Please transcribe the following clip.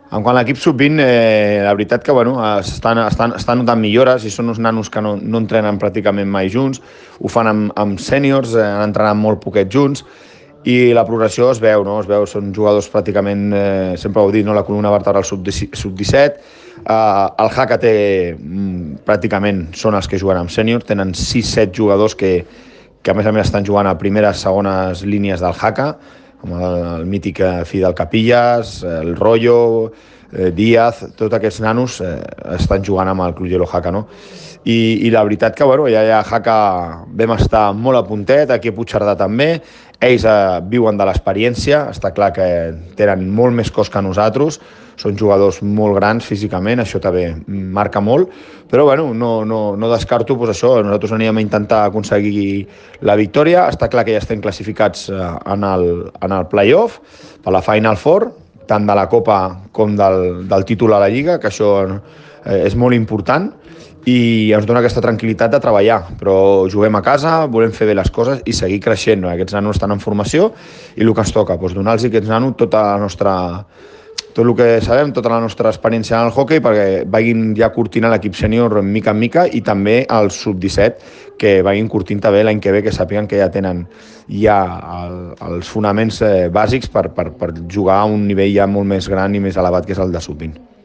En quant a l'equip sub-20, la veritat que estan notant millores i són uns nanos que no entrenen pràcticament mai junts, ho fan amb sèniors, han entrenat molt poquet junts, i la progressió es veu, no? Es veu, són jugadors pràcticament, sempre ho he dit, no? La columna vertebral sub-17, el Haka té, pràcticament són els que juguen amb sènior, tenen 6-7 jugadors que a més estan jugant a primeres, segones línies del Haka, com el mític Fidel Capillas, el Rollo, Díaz, tots aquests nanos estan jugant amb el Club Haka, no? I la veritat que, ja Haka vam estar molt a puntet, aquí a Puigcerdà també, ells viuen de l'experiència, està clar que tenen molt més cos que nosaltres, són jugadors molt grans físicament, això també marca molt, però no descarto això, nosaltres anirem a intentar aconseguir la victòria, està clar que ja estem classificats en el play-off, per la Final Four, tant de la Copa com del títol a la Lliga, que això és molt important, i ens dona aquesta tranquil·litat de treballar, però juguem a casa, volem fer bé les coses i seguir creixent, no? Aquests nanos estan en formació i el que ens toca, donar-los a aquests nanos tot el que sabem, tota la nostra experiència en el hoquei perquè vagin ja curtint l'equip sènior mica en mica i també el sub-17 que vagin curtint també l'any que ve, que sàpiguen que ja tenen els fonaments bàsics per jugar a un nivell ja molt més gran i més elevat que és el de sub-20.